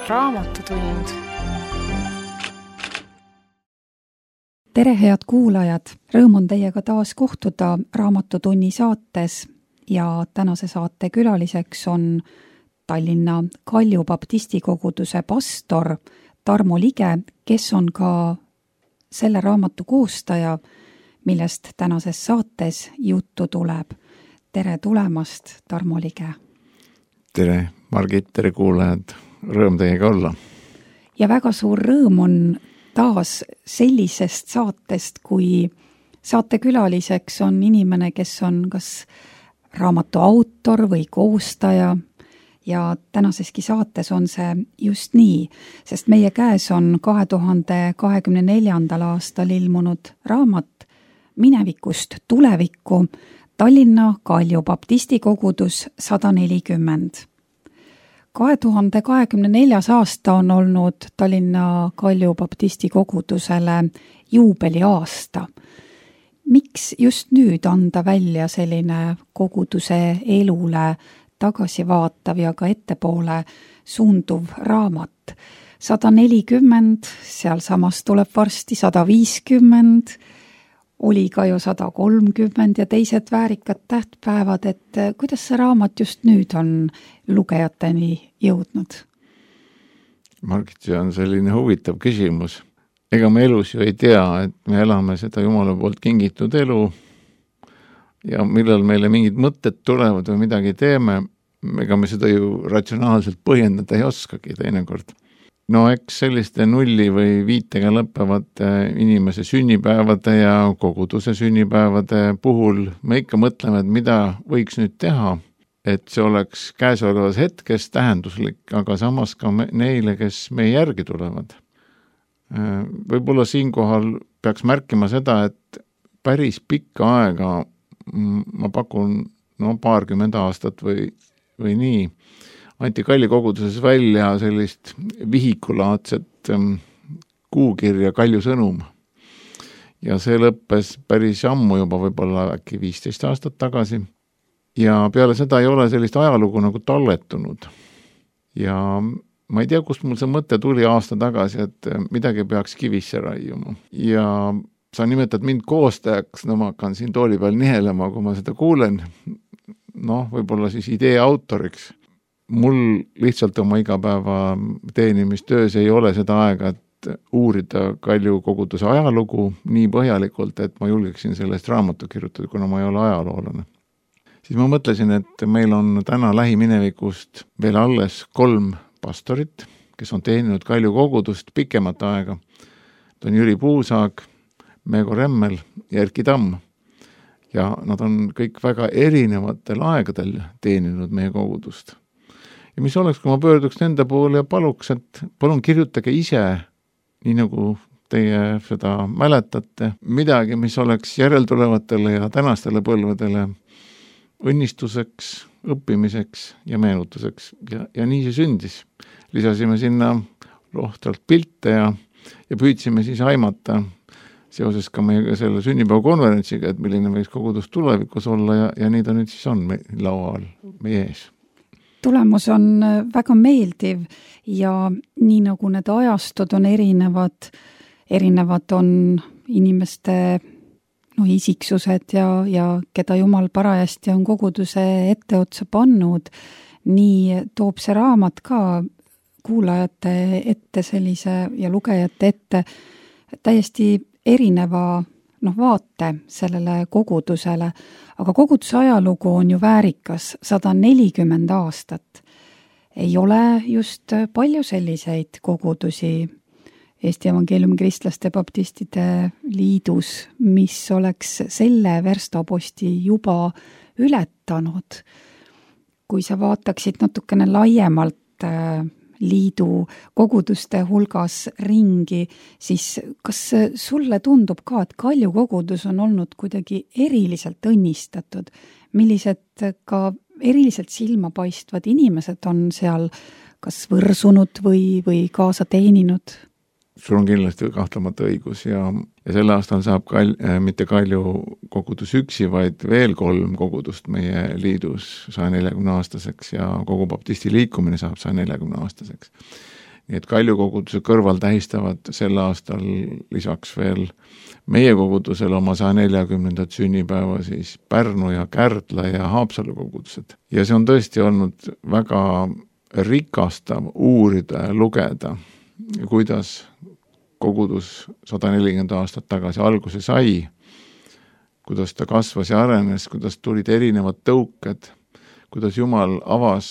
Raamatutund. Tere, head kuulajad! Rõõm on teiega taas kohtuda Raamatutunni saates ja tänase saate külaliseks on Tallinna Kalju baptistikoguduse pastor Tarmo Lige, kes on ka selle raamatu koostaja, millest tänases saates juttu tuleb. Tere tulemast, Tarmo Lige! Tere, Margit, tere kuulajad! Rõõm teiega olla! Ja väga suur rõõm on taas sellisest saatest, kui saatekülaliseks on inimene, kes on kas raamatu autor või koostaja ja tänaseski saates on see just nii, sest meie käes on 2024. aastal ilmunud raamat Minevikust tulevikku Tallinna Kalju baptistikogudus 140. 2024. aasta on olnud Tallinna Kalju baptistikogudusele juubeliaasta. Miks just nüüd anda välja selline koguduse elule tagasivaatav ja ka ettepoole suunduv raamat? 140, sealsamas tuleb varsti 150, oli ka ju 130 ja teised väärikad tähtpäevad, et kuidas see raamat just nüüd on lugejateni jõudnud? Margit, see on selline huvitav küsimus. Ega me elus ju ei tea, et me elame seda Jumala poolt kingitud elu ja millal meile mingid mõtted tulevad või midagi teeme, ega me seda ju ratsionaalselt põhjendada ei oskagi teinekord. No eks selliste nulli või viitega lõppevate inimese sünnipäevade ja koguduse sünnipäevade puhul me ikka mõtleme, et mida võiks nüüd teha, et see oleks käesolevas hetkes tähenduslik, aga samas ka neile, kes meie järgi tulevad. Võib-olla siinkohal peaks märkima seda, et päris pikka aega, ma pakun paarkümmend aastat või nii, anti Kalju koguduses välja sellist vihikulaadset kuukirja Kalju sõnum. Ja see lõppes päris ammu juba, võib-olla äkki 15 aastat tagasi. Ja peale seda ei ole sellist ajalugu nagu talletunud. Ja ma ei tea, kust mul see mõte tuli aasta tagasi, et midagi peaks kivisse raiuma. Ja sa nimetad mind koostajaks, ma hakkan siin tooli peal nihelema, kui ma seda kuulen. Võib-olla siis idee autoriks. Mul lihtsalt oma igapäeva teenimistöös ei ole seda aega, et uurida Kalju koguduse ajalugu nii põhjalikult, et ma julgeksin sellest raamatu kirjutada, kuna ma ei ole ajaloolane. Siis ma mõtlesin, et meil on täna lähiminevikust veel alles 3 pastorit, kes on teeninud Kalju kogudust pikemat aega. Need on Jüri Puusaag, Meego Remmel ja Erki Tamm. Ja nad on kõik väga erinevatel aegadel teeninud meie kogudust. Ja mis oleks, kui ma pöörduks nende poole ja paluks, et palun kirjutage ise, nii nagu teie seda mäletate, midagi, mis oleks järeltulevatele ja tänastele põlvedele õnnistuseks, õppimiseks ja meenutuseks. Ja nii see sündis. Lisasime sinna rohtralt pilte ja püüdsime siis aimata seoses ka meie selle sünnipäevakonverentsiga, et milline võiks kogudus tulevikus olla ja nii ta nüüd siis on laual meie ees. Tulemus on väga meeldiv ja nii nagu need ajastud on erinevad on inimeste isiksused ja keda Jumal parajasti on koguduse etteotsa pannud, nii toob see raamat ka kuulajate ette sellise ja lugejate ette täiesti erineva vaate sellele kogudusele, aga koguduse ajalugu on ju väärikas 140 aastat. Ei ole just palju selliseid kogudusi Eesti Evangeeliumi Kristlaste Baptistide Liidus, mis oleks selle verstaposti juba ületanud. Kui sa vaataksid natukene laiemalt liidu koguduste hulgas ringi, siis kas sulle tundub ka, et Kalju kogudus on olnud kuidagi eriliselt õnnistatud? Millised ka eriliselt silmapaistvad inimesed on seal kas võrsunud või kaasa teeninud? Sul on kindlasti kahtlemata õigus ja selle aastal saab mitte Kalju kogudus üksi, vaid veel 3 kogudust meie liidus 140 aastaseks ja kogu baptisti liikumine saab 140 aastaseks. nii et Kalju koguduse kõrval tähistavad sel aastal lisaks veel meie kogudusel oma 140. sünnipäeva siis Pärnu ja Kärdla ja Haapsalu kogudused. Ja see on tõesti olnud väga rikastav uurida ja lugeda, kuidas kogudus 140 aastat tagasi alguse sai, kuidas ta kasvas ja arenes, kuidas tulid erinevad tõuked, kuidas Jumal avas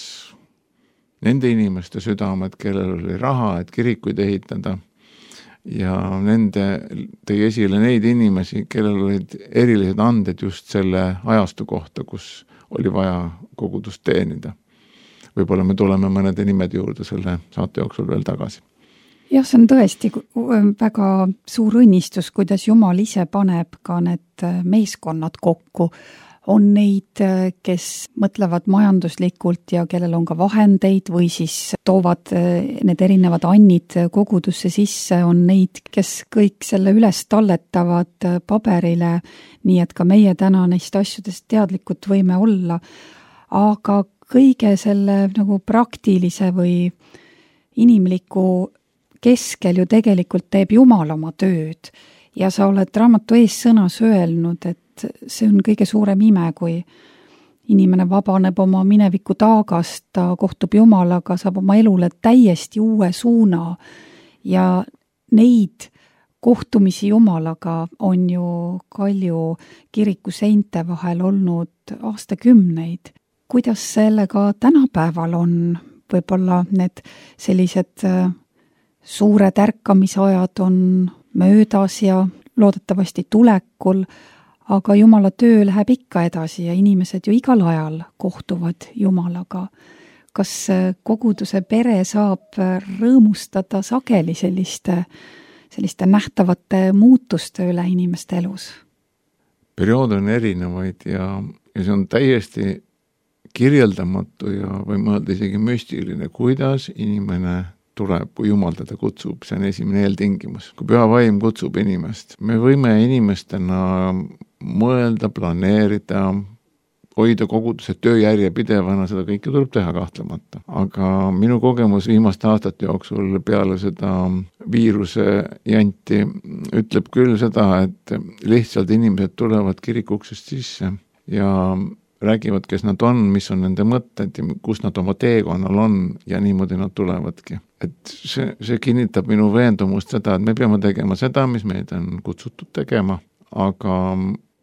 nende inimeste südamed, kellel oli raha, et kirikuid ehitada, ja tõi esile neid inimesi, kellel olid erilised anded just selle ajastu kohta, kus oli vaja kogudust teenida. Võib-olla me tuleme mõnede nimede juurde selle saate jooksul veel tagasi. Jah, see on tõesti väga suur õnnistus, kuidas Jumal ise paneb ka need meeskonnad kokku. On neid, kes mõtlevad majanduslikult ja kellel on ka vahendeid või siis toovad need erinevad annid kogudusse sisse, on neid, kes kõik selle üles talletavad paberile, nii et ka meie täna neist asjadest teadlikud võime olla. Aga kõige selle nagu praktilise või inimliku keskel ju tegelikult teeb Jumal oma tööd ja sa oled raamatu ees sõnas öelnud, et see on kõige suurem ime, kui inimene vabaneb oma mineviku taagast, ta kohtub Jumalaga, saab oma elule täiesti uue suuna ja neid kohtumisi Jumalaga on ju Kalju kiriku seinte vahel olnud aastakümneid. Kuidas sellega tänapäeval on? Võib-olla need sellised suured ärkamisajad on möödas ja loodetavasti tulekul, aga Jumala töö läheb ikka edasi ja inimesed ju igal ajal kohtuvad Jumalaga. Kas koguduse pere saab rõõmustada sageli selliste nähtavate muutuste üle inimeste elus? Periood on erinevaid ja see on täiesti kirjeldamatu ja või mõelda isegi müstiline, kuidas inimene tuleb, kui Jumal teda kutsub, see on esimene eeltingimus. Kui püha vaim kutsub inimest, me võime inimestena mõelda, planeerida, hoida koguduse tööjärje pidevana, seda kõike tuleb teha kahtlemata. Aga minu kogemus viimaste aastate jooksul peale seda viiruse janti ütleb küll seda, et lihtsalt inimesed tulevad kirikuksest sisse ja räägivad, kes nad on, mis on nende mõtted ja kus nad oma teekonnal on ja niimoodi nad tulevadki. Et see kinnitab minu veendumust seda, et me peame tegema seda, mis meid on kutsutud tegema, aga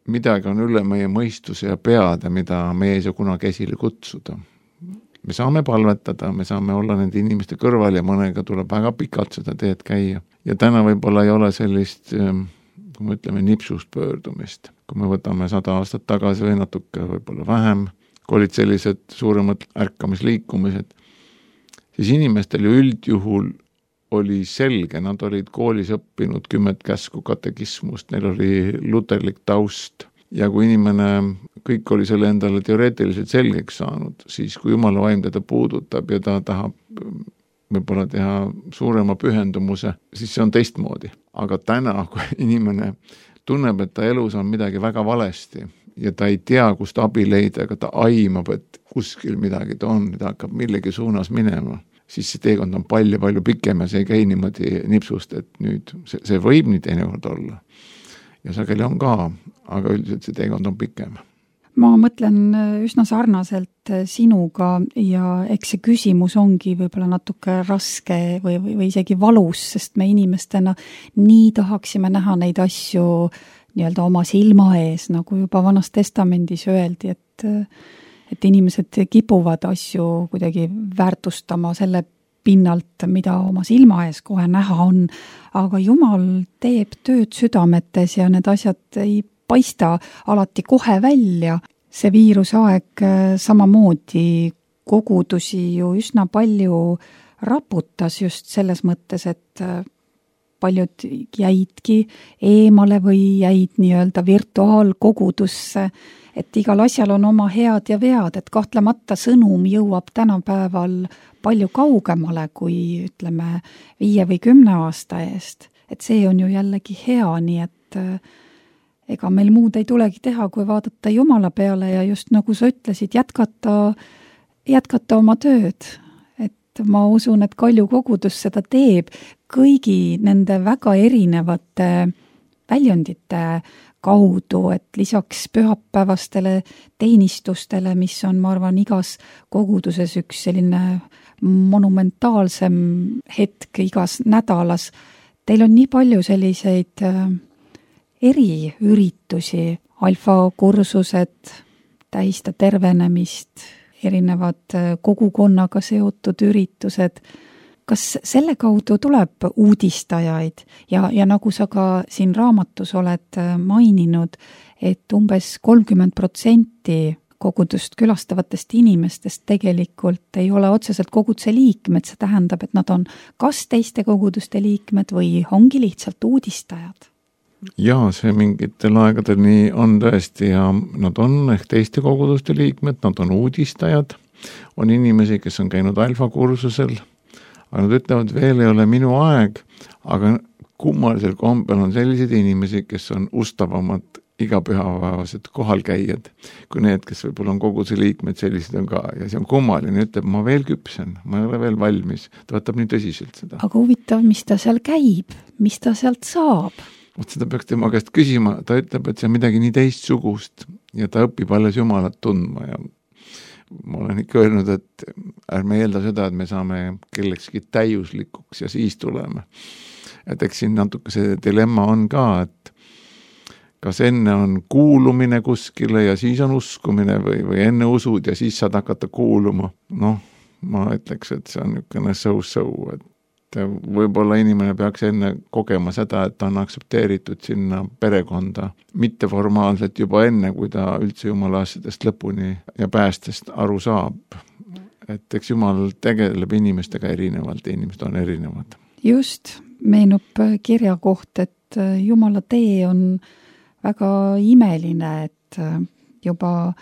midagi on üle meie mõistuse ja peade, mida me ei saa kunagi esile kutsuda. Me saame palvetada, me saame olla nende inimeste kõrval ja mõnega tuleb väga pikalt seda teed käia. Ja täna võib-olla ei ole sellist, kui me ütleme, nipsust pöördumist. Kui me võtame 100 aastat tagasi või natuke võib-olla vähem, kui olid sellised suuremad ärkamisliikumised, siis inimestel ju üldjuhul oli selge, nad olid koolis õppinud 10 käsku katekismust, neil oli luterlik taust ja kui inimene kõik oli selle endale teoreetiliselt selgeks saanud, siis kui Jumala vaim teda puudutab ja ta tahab võib-olla teha suurema pühendumuse, siis see on teistmoodi. Aga täna, kui inimene tunneb, et ta elus on midagi väga valesti ja ta ei tea, kust abi leida, aga ta aimab, et kuskil midagi ta on, ta hakkab millegi suunas minema, siis see teekond on palju pikem ja see ei käi niimoodi nipsust, et nüüd see võib nii teinekord olla. Ja sageli on ka, aga üldiselt see teekond on pikem. Ma mõtlen üsna sarnaselt sinuga ja eks see küsimus ongi võib-olla natuke raske või isegi valus, sest me inimestena nii tahaksime näha neid asju nii-öelda oma silma ees, nagu juba Vanas Testamendis öeldi, et inimesed kipuvad asju kuidagi väärtustama selle pinnalt, mida oma silma ees kohe näha on, aga Jumal teeb tööd südametes ja need asjad ei paista alati kohe välja. See viirusaeg samamoodi kogudusi ju üsna palju raputas just selles mõttes, et paljud jäidki eemale või jäid nii-öelda virtuaalkogudusse, et igal asjal on oma head ja vead, et kahtlemata sõnum jõuab tänapäeval palju kaugemale kui ütleme 5 või 10 aasta eest. Et see on ju jällegi hea, nii et ega meil muud ei tulegi teha, kui vaadata Jumala peale ja just nagu sa ütlesid, jätkata oma tööd. Et et ma usun, et Kalju kogudus seda teeb kõigi nende väga erinevate väljundite kaudu, et lisaks pühapäevastele teenistustele, mis on, ma arvan, igas koguduses üks selline monumentaalsem hetk igas nädalas, teil on nii palju selliseid eriüritusi, alfakursused, tähista tervenemist, erinevad kogukonnaga seotud üritused. Kas selle kaudu tuleb uudistajaid ja nagu sa ka siin raamatus oled maininud, et umbes 30% kogudust külastavatest inimestest tegelikult ei ole otseselt koguduse liikmed, see tähendab, et nad on kas teiste koguduste liikmed või ongi lihtsalt uudistajad? Jaa, see mingitel aegadel nii on tõesti ja nad on ehk teiste koguduste liikmed, nad on uudistajad, on inimesi, kes on käinud alfakursusel, aga nad ütlevad, veel ei ole minu aeg, aga kummalisel kombel on selliseid inimesi, kes on ustavamad igapühapäevased kohalkäijad, kui need, kes võib-olla on koguduse liikmed, sellised on ka. Ja see on kummaline, ütleb, ma veel küpsen, ma ei ole veel valmis. Ta võtab nii tõsiselt seda. Aga huvitav, mis ta seal käib, mis ta sealt saab? Seda peaks tema käest küsima, ta ütleb, et see on midagi nii teistsugust ja ta õpib alles Jumalat tundma ja ma olen ikka öelnud, et ärme eelda seda, et me saame kellekski täiuslikuks ja siis tuleme. Et eks siin natuke see dilemma on ka, et kas enne on kuulumine kuskile ja siis on uskumine või enne usud ja siis saad hakata kuuluma. Noh, ma ütleks, et see on niisugune so-so, et võib-olla inimene peaks enne kogema seda, et ta on aktsepteeritud sinna perekonda mitteformaalselt juba enne, kui ta üldse Jumala asjadest lõpuni ja päästest aru saab. Et eks Jumal tegeleb inimestega erinevalt ja inimesed on erinevad. Just, meenub kirja koht, et Jumala tee on väga imeline, et juba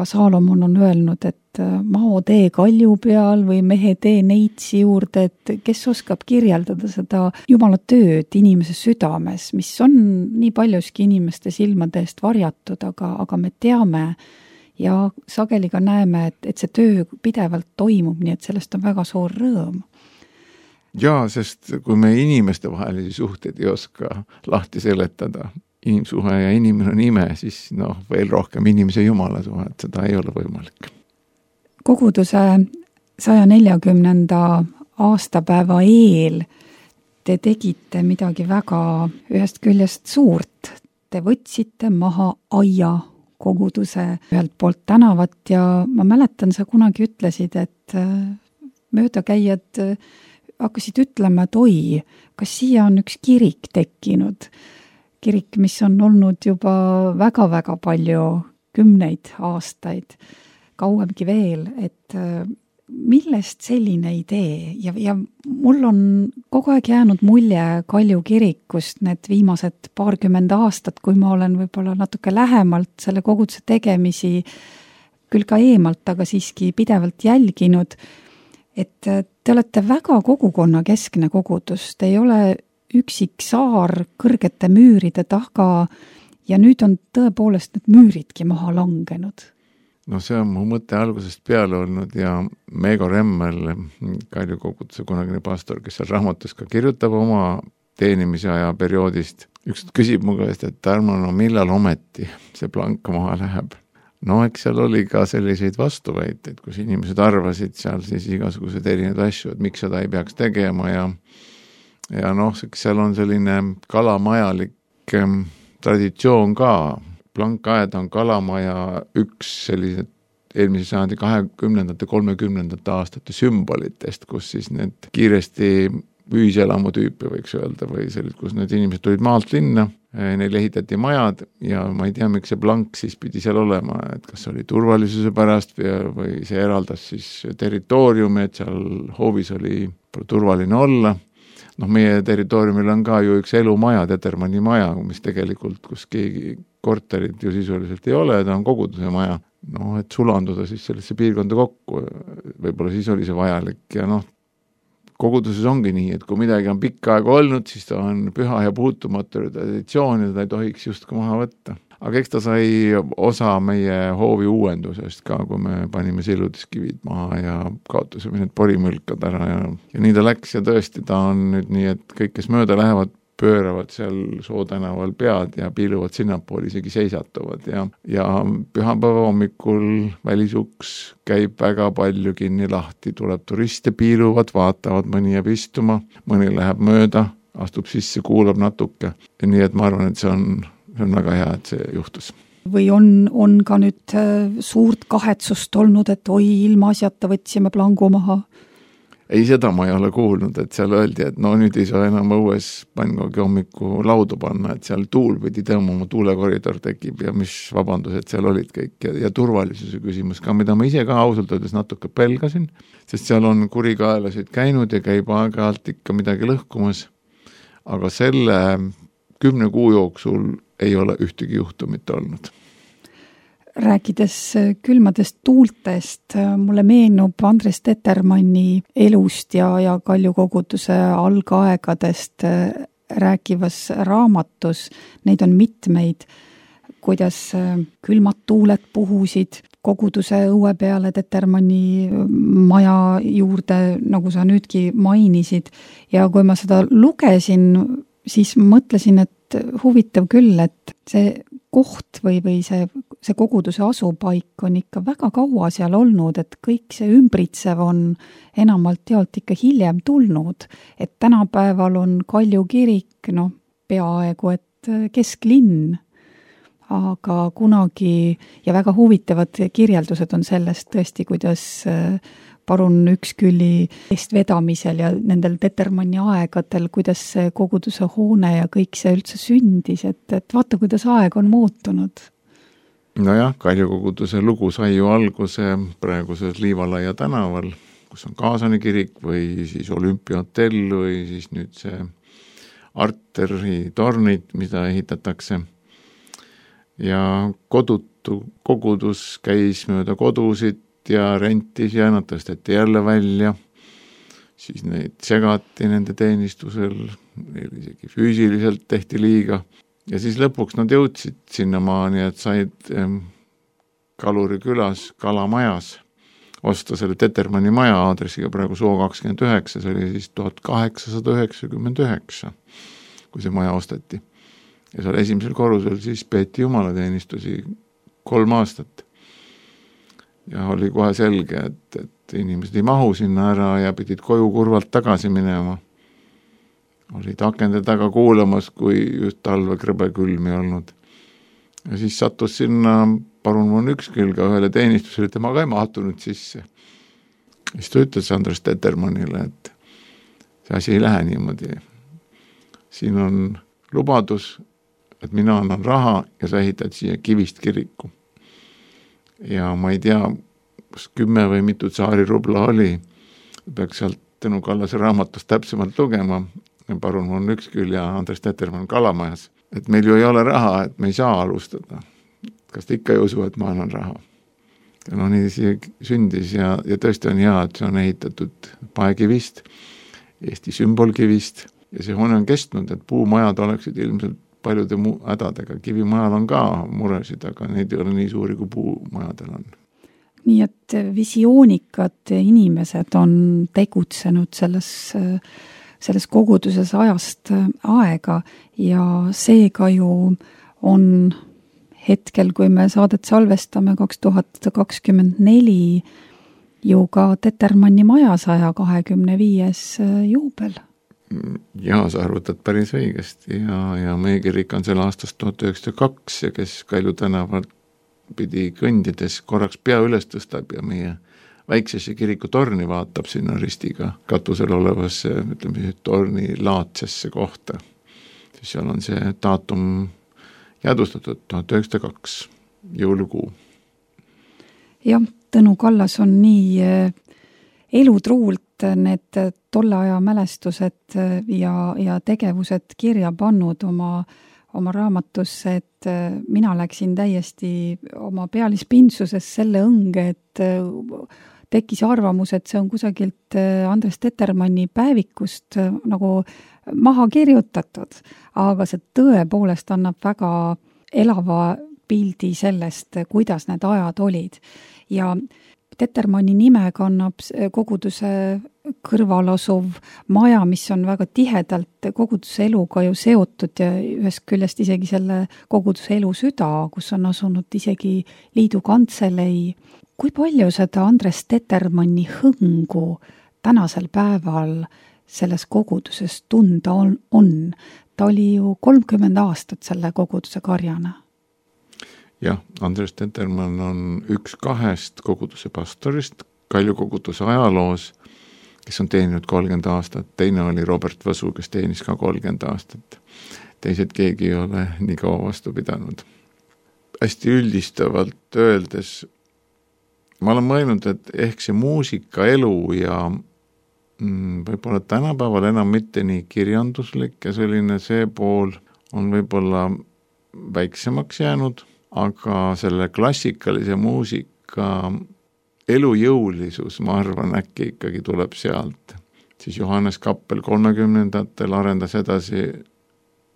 Saalomon on öelnud, et mao tee kalju peal või mehe tee neitsi juurde, et kes oskab kirjeldada seda Jumala tööd inimese südames, mis on nii paljuski inimeste silmade eest varjatud, aga me teame ja sageli ka näeme, et see töö pidevalt toimub, nii et sellest on väga suur rõõm. Jaa, sest kui me inimeste vahelisi suhteid ei oska lahti seletada, inimsuhe ja inimene on ime, siis veel rohkem inimese Jumala suhe, et seda ei ole võimalik. Koguduse 140. aastapäeva eel te tegite midagi väga ühest küljest suurt. Te võtsite maha aia koguduse ühelt poolt tänavat ja ma mäletan, sa kunagi ütlesid, et möödakäijad hakkasid ütlema, et oi, kas siia on üks kirik tekkinud. Kirik, mis on olnud juba väga-väga palju, 10 aastaid, kauemgi veel, et millest selline idee ja mul on kogu aeg jäänud mulje Kalju kirikust need viimased 20 aastat, kui ma olen võib-olla natuke lähemalt selle koguduse tegemisi, küll ka eemalt, aga siiski pidevalt jälginud, et te olete väga kogukonnakeskne kogudus, te ei ole üksik saar kõrgete müüride taga ja nüüd on tõepoolest need müüridki maha langenud. No see on mu mõte algusest peale olnud ja Meego Remmel, Kalju koguduse kunagine pastor, kes seal raamatus ka kirjutab oma teenimise aja perioodist, üks küsib mu käest, et Tarmo, millal ometi see plank maha läheb? No eks seal oli ka selliseid vastuväiteid, kus inimesed arvasid seal siis igasugused erinevad asju, et miks seda ei peaks tegema ja seal on selline kalamajalik traditsioon ka. Plankaed on kalamaja üks sellised eelmise sajandi 20. 30. aastate sümbolitest, kus siis need kiiresti ühiselamu tüüpi võiks öelda või sellised, kus need inimesed tulid maalt linna, neil ehitati majad ja ma ei tea, miks see plank siis pidi seal olema, et kas oli turvalisuse pärast või see eraldas siis territooriumi, et seal hoovis oli turvaline olla. Meie territooriumil on ka ju üks elumaja, Tetermanni maja, mis tegelikult, kus keegi korterit ju sisuliselt ei ole, ta on koguduse maja. Et sulanduda siis sellesse piirkonda kokku, võib-olla siis oli see vajalik ja koguduses ongi nii, et kui midagi on pikka aega olnud, siis ta on püha ja puutumatu traditsioon ja ta ei tohiks justkui maha võtta. aga eks ta sai osa meie hoovi uuendusest ka, kui me panime siludiskivid maha ja kaotasime need porimõlkad ära ja nii ta läks ja tõesti ta on nüüd nii, et kõik, kes mööda lähevad, pööravad seal Soo tänaval pead ja piiluvad sinnapool, isegi seisatuvad ja pühapäeva hommikul välisuks käib väga palju kinni lahti, tuleb turiste, piiluvad, vaatavad, mõni jääb istuma, mõni läheb mööda, astub sisse, kuulab natuke. Nii et ma arvan, et see on väga hea, et see juhtus. Või on ka nüüd suurt kahetsust olnud, et oi, ilma asjata võtsime plangu maha? Ei, seda ma ei ole kuulnud, et seal öeldi, et no nüüd ei saa enam õues pannkoogi hommiku laudu panna, et seal tuul pidi tõmbama, tuulekoridor tekib ja mis vabandused seal olid kõik ja turvalisuse küsimus ka, mida ma ise ka ausalt öeldes natuke pelgasin, sest seal on kurikaelasid käinud ja käib aeg-ajalt ikka midagi lõhkumas, aga selle 10 kuu jooksul ei ole ühtegi juhtumit olnud. Rääkides külmadest tuultest, mulle meenub Andres Tetermanni elust ja Kalju koguduse algaegadest rääkivas raamatus, neid on mitmeid, kuidas külmad tuuled puhusid koguduse õue peale Tetermanni maja juurde, nagu sa nüüdki mainisid, ja kui ma seda lugesin, siis mõtlesin, et huvitav küll, et see koht või see koguduse asupaik on ikka väga kaua seal olnud, et kõik see ümbritsev on enamalt jaolt ikka hiljem tulnud, et tänapäeval on Kalju kirik, peaaegu et kesklinn, aga kunagi ja väga huvitavad kirjeldused on sellest tõesti, kuidas parun Üksküli eestvedamisel ja nendel Tetermanni aegadel, kuidas see koguduse hoone ja kõik see üldse sündis, et vaata, kuidas aeg on muutunud. Nojah, Kalju koguduse lugu sai ju alguse praeguses Liivalaia tänaval, kus on Kaasani kirik või siis Olümpiahotell või siis nüüd see Arteri tornid, mida ehitatakse. Ja kodutu kogudus käis mööda kodusid ja rentis ja nad tõsteti jälle välja, siis neid segati nende teenistusel, isegi füüsiliselt tehti liiga ja siis lõpuks nad jõudsid sinnamaani, et said Kaluri külas Kalamajas osta selle Tetermanni maja aadressiga praegu Soo 29, see oli siis 1899, kui see maja osteti. Ja seal esimesel korrusel siis peeti jumalateenistusi 3 aastat. Ja oli kohe selge, et inimesed ei mahu sinna ära ja pidid koju kurvalt tagasi minema. Olid akende taga kuulamas, kui just talve krõbe külmi olnud. Ja siis sattus sinna parun von Ükskülga ühele teenistusele, tema ka ei mahtunud sisse. Siis ta ütles Andres Tetermannile, et see asi ei lähe niimoodi. Siin on lubadus, et mina annan raha ja sa ehitad siia kivist kiriku. Ja ma ei tea, 10 või mitu Tsaari rubla oli, peaks sealt Tõnu Kallase raamatust täpsemalt lugema, parun von Ükskül ja Andres Tetermann Kalamajas, et meil ju ei ole raha, et me ei saa alustada. Kas te ikka ei usu, et ma annan raha? Ja nii see sündis ja tõesti on hea, et see on ehitatud paekivist, Eesti sümbolkivist ja see hoone on kestnud, et puumajad oleksid ilmselt paljude hädadega. Kivimajal on ka muresid, aga neid ei ole nii suuri, kui puumajadel on. Nii et visioonikad inimesed on tegutsenud selles koguduses ajast aega ja seega ju on hetkel, kui me saadet salvestame 2024, ju ka Tetermanni maja 125. juubel. Ja sa arvutad päris õigesti ja meie kirik on selle aastast 1902 ja kes Kalju tänavalt pidi kõndides korraks pea üles tõstab ja meie väiksesse kiriku torni vaatab sinna ristiga katusel olevasse, ütleme, torni laatsesse kohta. Siis seal on see daatum jäädustatud 1902 jõulukuu. Jah, Tõnu Kallas on nii elutruult need tolle aja mälestused ja tegevused kirja pannud oma raamatusse, et mina läksin täiesti oma pealispindsuses selle õnge, et tekkis arvamus, et see on kusagilt Andres Tetermanni päevikust nagu maha kirjutatud, aga see tõepoolest annab väga elava pildi sellest, kuidas need ajad olid. Ja Tetermanni nime kannab koguduse kõrval asuv maja, mis on väga tihedalt koguduse eluga ju seotud ja ühest küljest isegi selle koguduse elu süda, kus on asunud isegi liidu kantselei. Kui palju seda Andres Tetermanni hõngu tänasel päeval selles koguduses tunda on? Ta oli ju 30 aastat selle koguduse karjana. Jah, Andres Tetermann on üks 2 koguduse pastorist Kalju koguduse ajaloos, kes on teeninud 30 aastat. Teine oli Robert Võsu, kes teenis ka 30 aastat. Teised keegi ei ole nii kaua vastu pidanud. Hästi üldistavalt öeldes, ma olen mõelnud, et ehk see muusika elu ja võib-olla tänapäeval enam mitte nii kirjanduslik ja selline see pool on võib-olla väiksemaks jäänud, aga selle klassikalise muusika elujõulisus, ma arvan, äkki ikkagi tuleb sealt. Siis Johannes Kappel 30ndatel arendas edasi,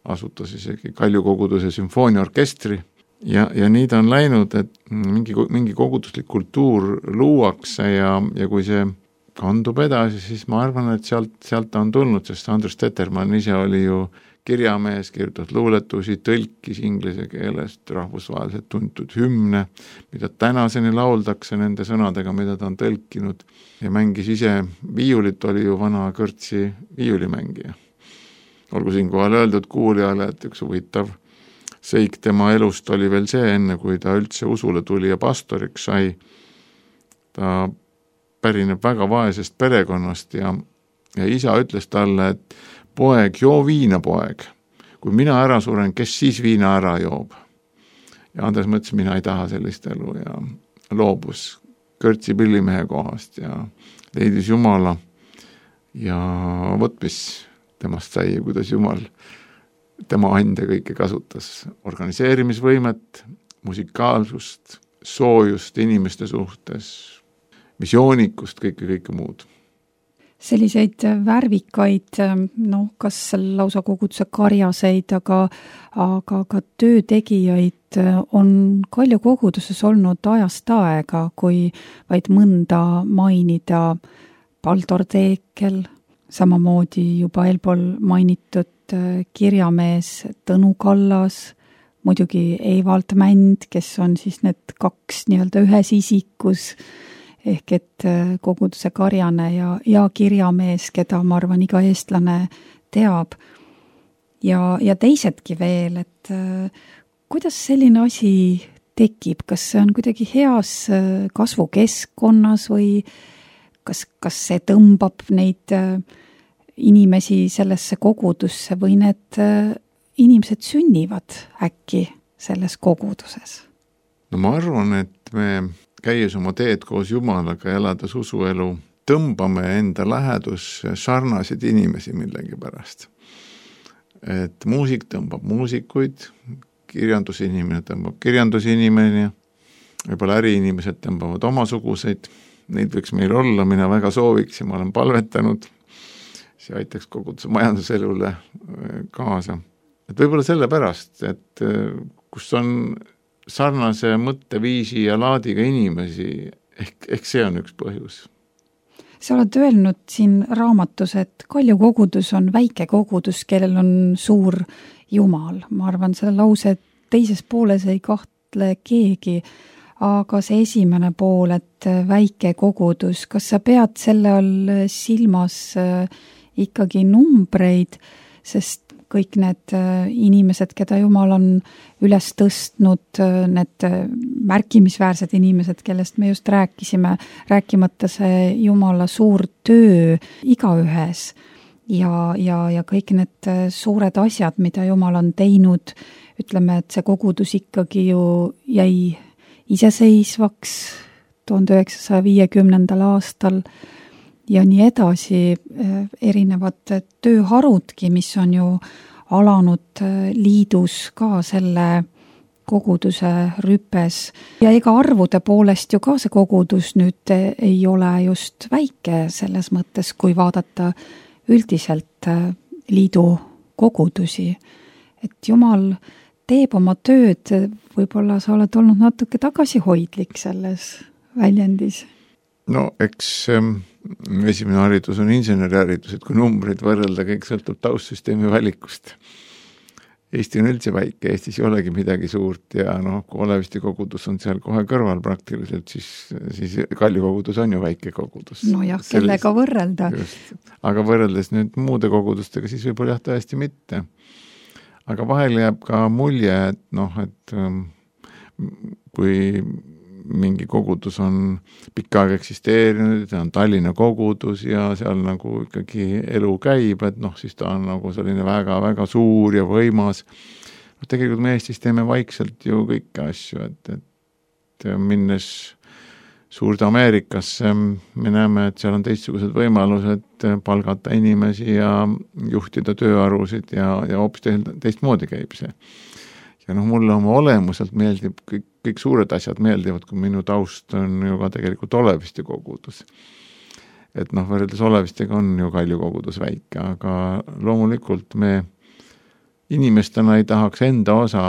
asutas isegi Kalju koguduse sümfooniaorkestri ja nii ta on läinud, et mingi koguduslik kultuur luuakse ja kui see kandub edasi, siis ma arvan, et sealt ta on tulnud, sest Andres Tetermann ise oli ju kirjamees, kirjutas luuletusi, tõlkis inglise keelest rahvusvaheliselt tuntud hümne, mida tänaseni lauldakse nende sõnadega, mida ta on tõlkinud ja mängis ise viiulit, oli ju vana kõrtsi viiulimängija. Olgu siinkohal öeldud kuulijale, et üks huvitav seik tema elust oli veel see, enne kui ta üldse usule tuli ja pastoriks sai. Ta pärineb väga vaesest perekonnast ja isa ütles talle, et poeg, joo viina, poeg. Kui mina ära suren, kes siis viina ära joob? Ja Andres mõtles, mina ei taha sellist elu ja loobus kõrtsi pillimehe kohast ja leidis Jumala ja võt, mis temast sai ja kuidas Jumal tema ande kõike kasutas. Organiseerimisvõimet, musikaalsust, soojust inimeste suhtes, visioonikust, kõike muud. Selliseid värvikaid, kas lausa koguduse karjaseid, aga ka töötegijaid on Kalju koguduses olnud ajast aega, kui vaid mõnda mainida. Paldor Teekel, samamoodi juba eelpool mainitud kirjamees Tõnu Kallas, muidugi Eivald Mänd, kes on siis need 2 nii-öelda ühes isikus, ehk et koguduse karjane ja kirjamees, keda ma arvan iga eestlane teab. Ja teisedki veel, et kuidas selline asi tekib, kas see on kuidagi heas kasvukeskkonnas või kas see tõmbab neid inimesi sellesse kogudusse või need inimesed sünnivad äkki selles koguduses? No ma arvan, et me käies oma teed koos Jumalaga ja elades usuelu, tõmbame enda lähedusse sarnaseid inimesi millegi pärast. Et muusik tõmbab muusikuid, kirjandusinimene tõmbab kirjandusinimene, võib-olla äriinimesed tõmbavad omasuguseid, neid võiks meil olla, mina väga sooviks ja ma olen palvetanud, see aitaks koguduse majanduselule kaasa. Et võib-olla selle pärast, et kus on sarnase mõtteviisi ja laadiga inimesi, ehk see on üks põhjus. Sa oled öelnud siin raamatus, et Kalju kogudus on väike kogudus, kellel on suur Jumal. Ma arvan, selle lause teises pooles ei kahtle keegi, aga see esimene pool, et väike kogudus, kas sa pead selle all silmas ikkagi numbreid, sest kõik need inimesed, keda Jumal on üles tõstnud, need märkimisväärsed inimesed, kellest me just rääkisime, rääkimata see Jumala suur töö igaühes ja kõik need suured asjad, mida Jumal on teinud, ütleme, et see kogudus ikkagi ju jäi iseseisvaks 1950. aastal ja nii edasi, erinevad tööharudki, mis on ju alanud liidus ka selle koguduse rüpes. Ja ega arvude poolest ju ka see kogudus nüüd ei ole just väike selles mõttes, kui vaadata üldiselt liidu kogudusi. Et Jumal teeb oma tööd, võib-olla sa oled olnud natuke tagasihoidlik selles väljendis? No eks esimene haridus on inseneriharidus, et kui numbreid võrrelda, kõik sõltub taustsüsteemi valikust. Eesti on üldse väike, Eestis ei olegi midagi suurt ja kui Oleviste kogudus on seal kohe kõrval praktiliselt, siis Kalju kogudus on ju väike kogudus. No jah, kellega võrrelda. Just. Aga võrreldes nüüd muude kogudustega, siis võib-olla jah tõesti mitte. Aga vahel jääb ka mulje, et kui mingi kogudus on pikka aega eksisteerinud, on Tallinna kogudus ja seal nagu ikkagi elu käib, et siis ta on nagu selline väga-väga suur ja võimas. Tegelikult me Eestis teeme vaikselt ju kõiki asju, et minnes suurde Ameerikasse, me näeme, et seal on teistsugused võimalused palgata inimesi ja juhtida tööarusid ja hoopis teistmoodi käib see. Ja mulle oma olemuselt meeldib, kõik suured asjad meeldivad, kui minu taust on ju ka tegelikult Oleviste kogudus. Et võrreldes Olevistega on ju Kalju kogudus väike, aga loomulikult me inimestena ei tahaks enda osa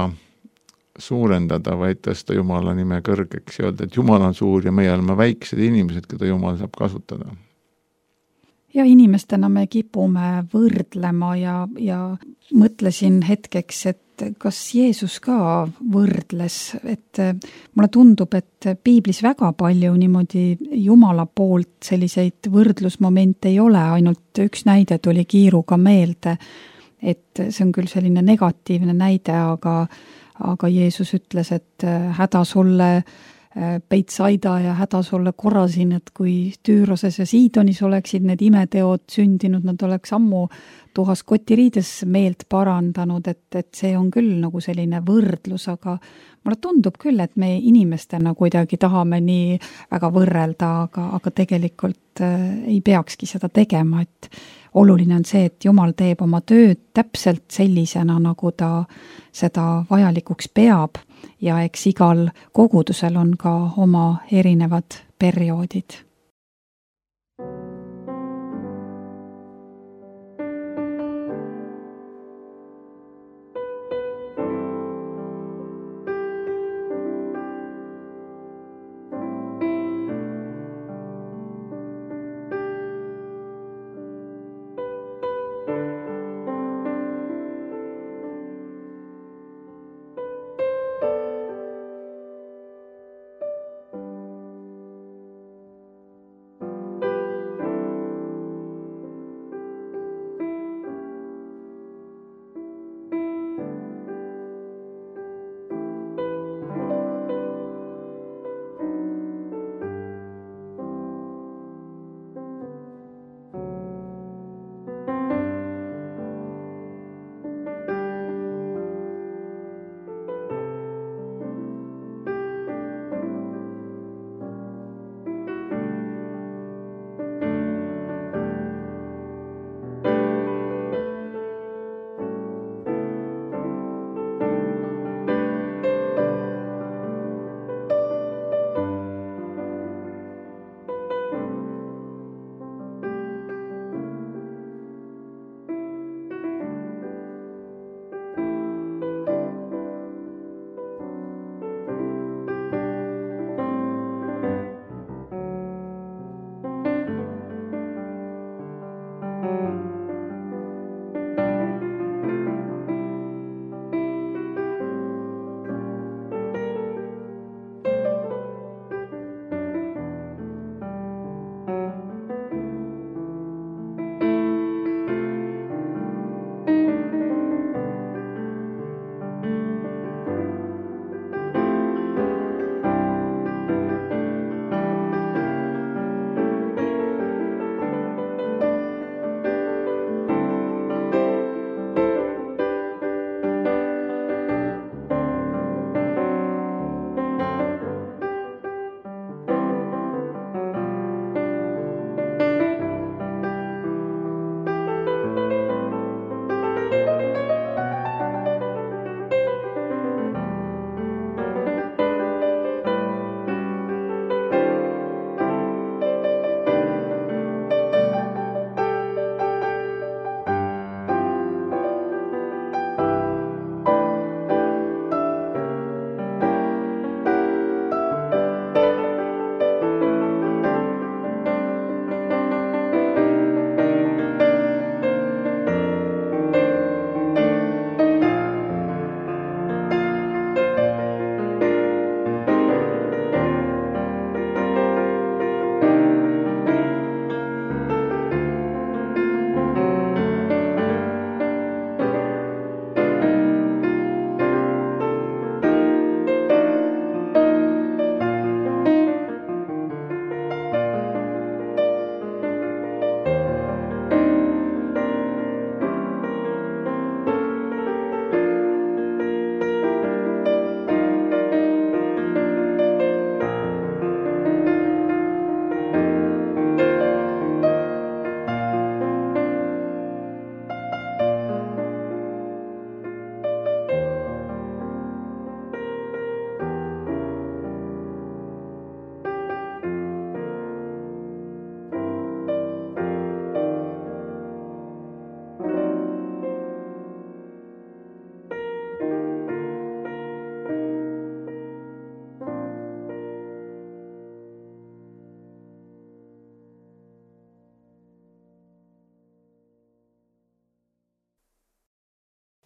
suurendada, vaid tõsta Jumala nime kõrgeks ja öelda, et Jumal on suur ja meie oleme väiksed inimesed, keda Jumal saab kasutada. Ja inimestena me kipume võrdlema ja mõtlesin hetkeks, et kas Jeesus ka võrdles, et mulle tundub, et piiblis väga palju niimoodi Jumala poolt selliseid võrdlusmomente ei ole, ainult üks näide tuli kiiruga meelde, et see on küll selline negatiivne näide, aga Jeesus ütles, et häda sulle Peitsaida ja häda sulle Korasin, et kui Tüüroses ja Siidonis oleksid need imeteod sündinud, nad oleks ammu tuhas kotiriides meelt parandanud, et see on küll nagu selline võrdlus, aga mulle tundub küll, et me inimestena kuidagi tahame nii väga võrrelda, aga tegelikult ei peakski seda tegema, et oluline on see, et Jumal teeb oma tööd täpselt sellisena, nagu ta seda vajalikuks peab ja eks igal kogudusel on ka oma erinevad perioodid.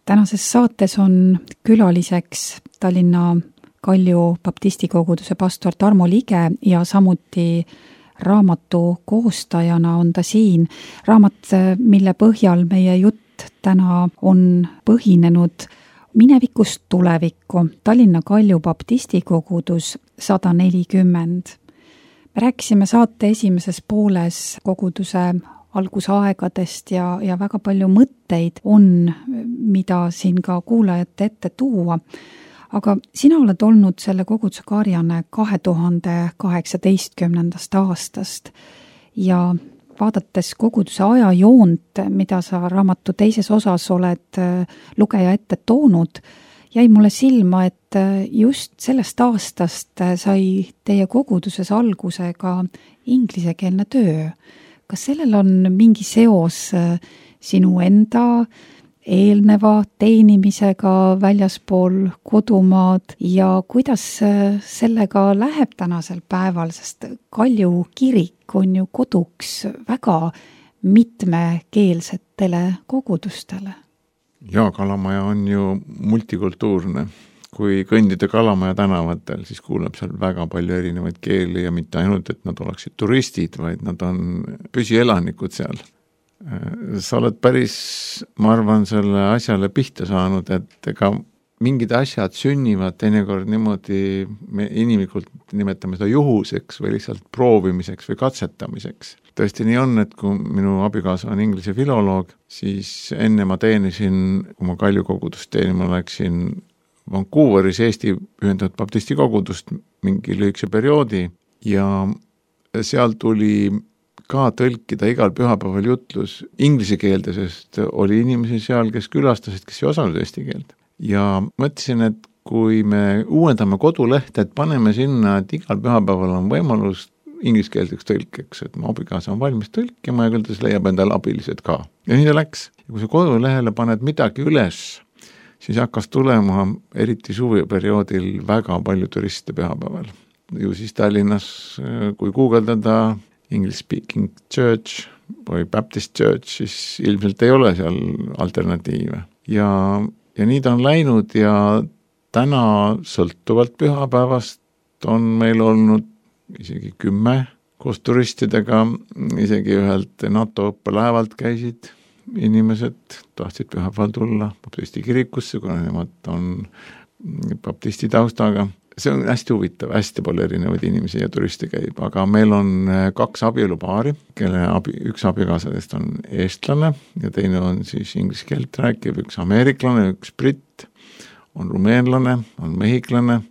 tänases saates on külaliseks Tallinna Kalju baptistikoguduse pastor Tarmo Lige ja samuti raamatu koostajana on ta siin. Raamat, mille põhjal meie jutt täna on põhinenud Minevikust tulevikku, Tallinna Kalju baptistikogudus 140. Me rääkisime saate esimeses pooles koguduse algusaegadest ja väga palju mõtteid on, mida siin ka kuulajate ette tuua. Aga sina oled olnud selle koguduse karjane 2018. aastast ja vaadates koguduse ajajoont, mida sa raamatu teises osas oled lugeja ette toonud, jäi mulle silma, et just sellest aastast sai teie koguduses alguse ka inglisekeelne töö. Kas sellel on mingi seos sinu enda eelneva teenimisega väljaspool kodumaad ja kuidas sellega läheb tänasel päeval, sest Kalju kirik on ju koduks väga mitmekeelsetele kogudustele? Jaa, Kalamaja on ju multikultuurne. Kui kõndida Kalamaja tänavatel, siis kuuleb seal väga palju erinevaid keeli ja mitte ainult, et nad oleksid turistid, vaid nad on püsielanikud seal. Sa oled päris, ma arvan, selle asjale pihta saanud, et ega mingid asjad sünnivad teinekord niimoodi, me inimlikult nimetame seda juhuseks või lihtsalt proovimiseks või katsetamiseks. Tõesti nii on, et kui minu abikaasa on inglise filoloog, siis enne ma teenisin, kui ma Kalju kogudust teenima läksin Vancouveris Eesti Ühendatud Baptisti kogudust mingi lühikese perioodi ja seal tuli ka tõlkida igal pühapäeval jutlus inglise keelde, sest oli inimesi seal, kes külastasid, kes ei osanud eesti keelt. Ja mõtlesin, et kui me uuendame kodulehte, et paneme sinna, et igal pühapäeval on võimalus ingliskeelseks tõlkeks, et mu abikaasa on valmis tõlkima ja küll ta leiab endale abilised ka. Ja nii ta läks. Ja kui sa kodulehele paned midagi üles, siis hakkas tulema eriti suveperioodil väga palju turiste pühapäeval. Ju siis Tallinnas, kui guugeldada English speaking church või Baptist church, siis ilmselt ei ole seal alternatiive. Ja nii ta on läinud ja täna sõltuvalt pühapäevast on meil olnud isegi 10 koos turistidega, isegi ühelt NATO õppelaevalt käisid inimesed, tahtsid pühapäeval tulla baptisti kirikusse, kuna nemad on baptisti taustaga. See on hästi huvitav, hästi palju erinevaid inimesi ja turiste käib, aga meil on 2 abielupaari, kelle üks abikaasadest on eestlane ja teine on siis inglise keelt rääkiv, üks ameeriklane, üks britt, on rumeenlane, on mehiklane,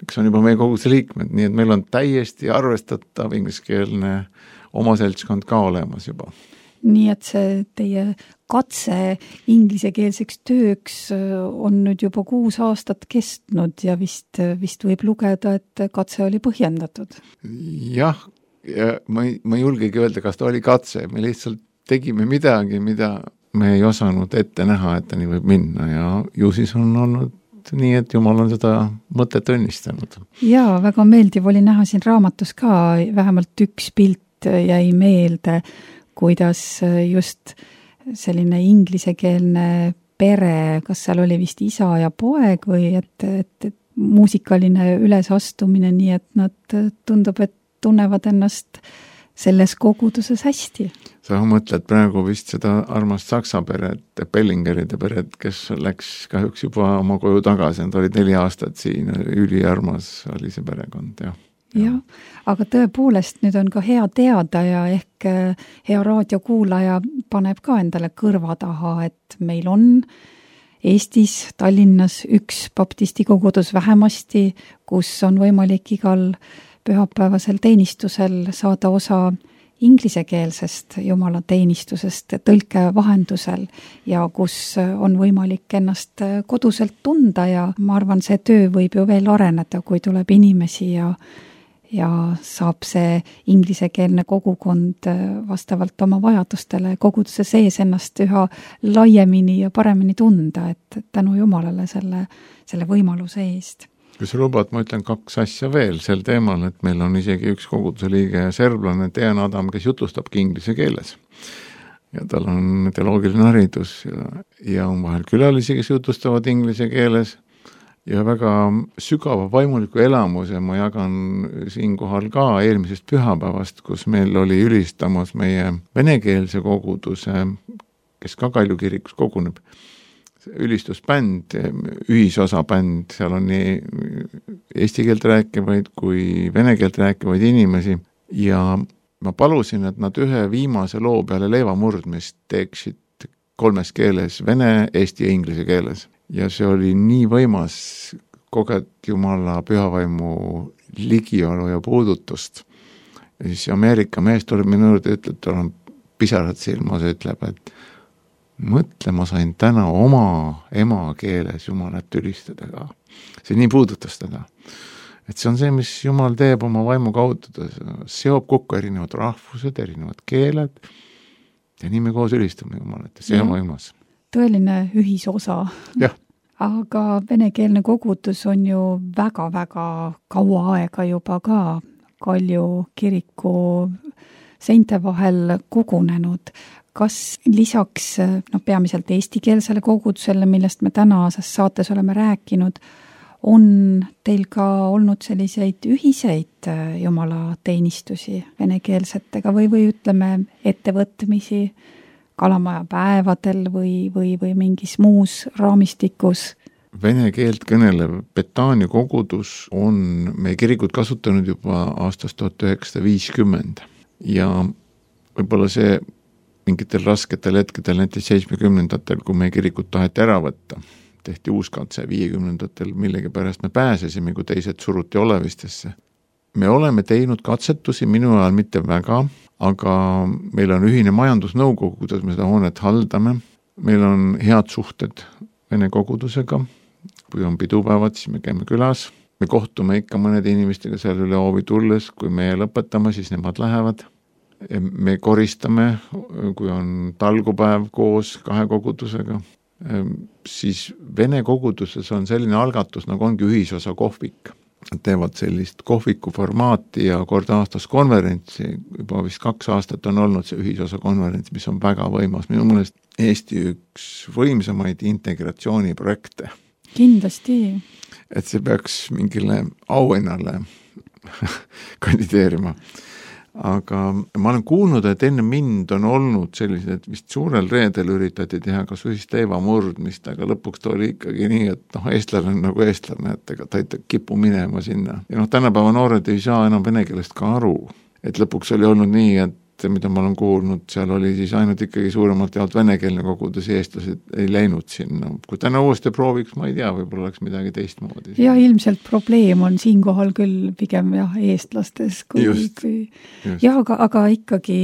üks on juba meie koguduse liikmed, nii et meil on täiesti arvestatav ingliskeelne oma seltskond ka olemas juba. Nii et see teie katse inglisekeelseks tööks on nüüd juba 6 aastat kestnud ja vist võib lugeda, et katse oli põhjendatud. Jah, ja ma ei julgegi öelda, kas ta oli katse, me lihtsalt tegime midagi, mida me ei osanud ette näha, et ta nii võib minna ja ju siis on olnud nii, et Jumal on seda mõtet õnnistanud. Jaa, väga meeldiv oli näha siin raamatus ka, vähemalt üks pilt jäi meelde, kuidas just selline inglisekeelne pere, kas seal oli vist isa ja poeg või et muusikaline ülesastumine, nii et nad tundub, et tunnevad ennast selles koguduses hästi. Sa mõtled praegu vist seda armast Saksa peret, Bellingeride peret, kes läks kahjuks juba oma koju tagasi, nad olid 4 aastat siin, üliarmas oli see perekond, jah. Jah, aga tõepoolest nüüd on ka hea teada ja ehk hea raadiokuulaja paneb ka endale kõrva taha, et meil on Eestis, Tallinnas üks baptisti kogudus vähemasti, kus on võimalik igal pühapäevasel teenistusel saada osa inglisekeelsest jumalateenistusest tõlke vahendusel ja kus on võimalik ennast koduselt tunda ja ma arvan, see töö võib ju veel areneda, kui tuleb inimesi ja saab see inglisekeelne kogukond vastavalt oma vajadustele koguduse sees ennast üha laiemini ja paremini tunda, et tänu Jumalale selle võimaluse eest. Kui sa lubad, ma ütlen 2 asja veel sel teemal, et meil on isegi üks koguduse liige serblane Dejan Adam, kes jutlustabki inglise keeles. ja tal on teoloogiline haridus ja on vahel külalisi, kes jutustavad inglise keeles ja väga sügava vaimuliku elamuse ma jagan siinkohal ka eelmisest pühapäevast, kus meil oli ülistamas meie venekeelse koguduse, kes ka Kalju kirikus koguneb, ülistusbänd, ühisosabänd, seal on nii eesti keelt rääkivaid kui vene keelt rääkivaid inimesi ja ma palusin, et nad ühe viimase loo peale leivamurdmist teeksid 3 keeles, vene, eesti ja inglise keeles. Ja see oli nii võimas koged Jumala pühavaimu ligiolu ja puudutust. Ja siis Ameerika mees tuleb minu juurde, ütleb, tal on pisarad silmas, ütleb, et mõtle, ma sain täna oma emakeeles Jumalat ülistada ka. See nii puudutas teda. Et see on see, mis Jumal teeb oma vaimu kaudu, ta seob kokku erinevad rahvused, erinevad keeled ja nii me koos ülistame Jumalat ja see on võimas. Tõeline ühisosa. Jah. Aga venekeelne kogudus on ju väga-väga kaua aega juba ka Kalju kiriku seinte vahel kogunenud. Kas lisaks peamiselt eestikeelsele kogudusele, millest me tänases saates oleme rääkinud, on teil ka olnud selliseid ühiseid Jumala teenistusi venekeelsetega või ütleme ettevõtmisi Kalamaja päevadel või mingis muus raamistikus? Vene keelt kõnelev Betania kogudus on meie kirikut kasutanud juba aastast 1950 ja võib-olla see mingitel rasketel hetkedel, näiteks 70-ndatel, kui meie kirikut taheti ära võtta, tehti uuskatse 50-ndatel, millegipärast me pääsesime, kui teised suruti olevistesse. Me oleme teinud katsetusi, minu ajal mitte väga, aga meil on ühine majandusnõukogu, kuidas me seda hoonet haldame. Meil on head suhted Vene kogudusega. Kui on pidupäevad, siis me käime külas. Me kohtume ikka mõnede inimestega seal üle hoovi tulles. Kui me lõpetame, siis nemad lähevad. Me koristame, kui on talgupäev koos 2 kogudusega. Siis Vene koguduses on selline algatus, nagu ongi ühisosa kohvik. Teevad sellist kohviku formaati ja kord aastas konverentsi, juba vist 2 aastat on olnud see ühisosa konverents, mis on väga võimas. Minu mõelest Eesti üks võimsamaid integratsiooniprojekte. Kindlasti. Et see peaks mingile auhinnale kandideerima. Aga ma olen kuulnud, et enne mind on olnud sellised, vist suurel reedel üritati teha kas ühist leivamurdmist, aga lõpuks ta oli ikkagi nii, et eestlane on nagu eestlane, et ega ta ei kipu minema sinna. Ja tänapäeva noored ei saa enam vene keelest ka aru. Et lõpuks oli olnud nii, et mida ma olen kuulnud, seal oli siis ainult ikkagi suuremalt jaolt venekeelne kogudus, eestlased ei läinud sinna. Kui täna uuesti prooviks, ma ei tea, võib-olla oleks midagi teistmoodi. Ja ilmselt probleem on siinkohal küll pigem eestlastes. Just. Ja, aga ikkagi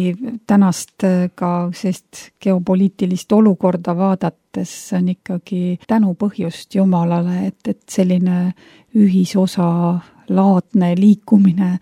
tänast ka sellist geopoliitilist olukorda vaadates on ikkagi tänu põhjust Jumalale, et selline ühisosa laadne liikumine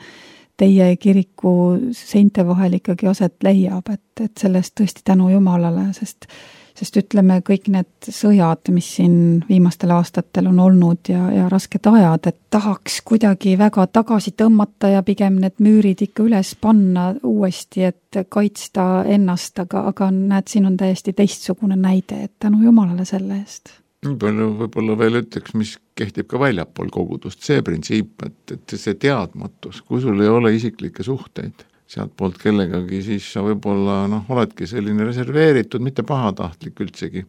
teie kiriku seinte vahel ikkagi aset leiab, et sellest tõesti tänu Jumalale, sest ütleme kõik need sõjad, mis siin viimastel aastatel on olnud ja rasked ajad, et tahaks kuidagi väga tagasi tõmmata ja pigem need müürid ikka üles panna uuesti, et kaitsta ennast, aga näed, siin on täiesti teistsugune näide, et tänu Jumalale selle eest. Nii palju võib-olla veel ütleks, mis kehtib ka väljapool kogudust, see printsiip, et see teadmatus, kui sul ei ole isiklikke suhteid sealt poolt kellegagi, siis sa võib-olla oledki selline reserveeritud, mitte pahatahtlik üldsegi.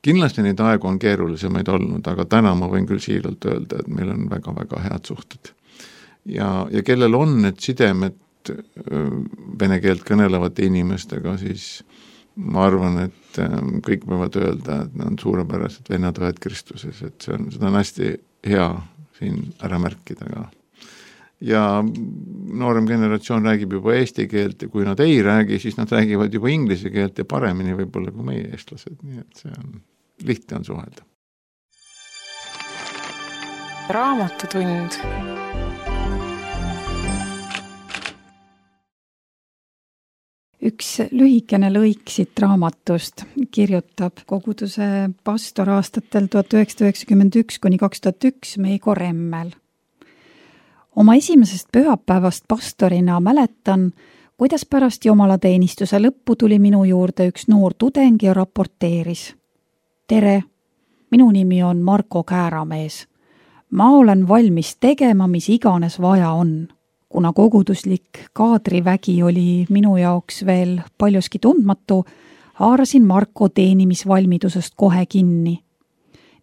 Kindlasti neid aegu on keerulisemaid olnud, aga täna ma võin küll siiralt öelda, et meil on väga-väga head suhted. Ja kellel on need sidemed vene keelt kõnelevate inimestega, siis ma arvan, et kõik võivad öelda, et nad on suurepärased vennad õed Kristuses, et seda on hästi hea siin ära märkida ka. Ja noorem generatsioon räägib juba eesti keelt ja kui nad ei räägi, siis nad räägivad juba inglise keelt ja paremini võib-olla kui meie eestlased, nii et see on lihtne on suhelda. Raamatutund. Üks lühikene lõik siit raamatust kirjutab koguduse pastor aastatel 1991 kuni 2001 Meigo Remmel. Oma esimesest pühapäevast pastorina mäletan, kuidas pärast jumalateenistuse lõppu tuli minu juurde üks noor tudeng ja raporteeris. Tere, minu nimi on Marko Kääramees. Ma olen valmis tegema, mis iganes vaja on. Kuna koguduslik kaadrivägi oli minu jaoks veel paljuski tundmatu, haarasin Marko teenimisvalmidusest kohe kinni.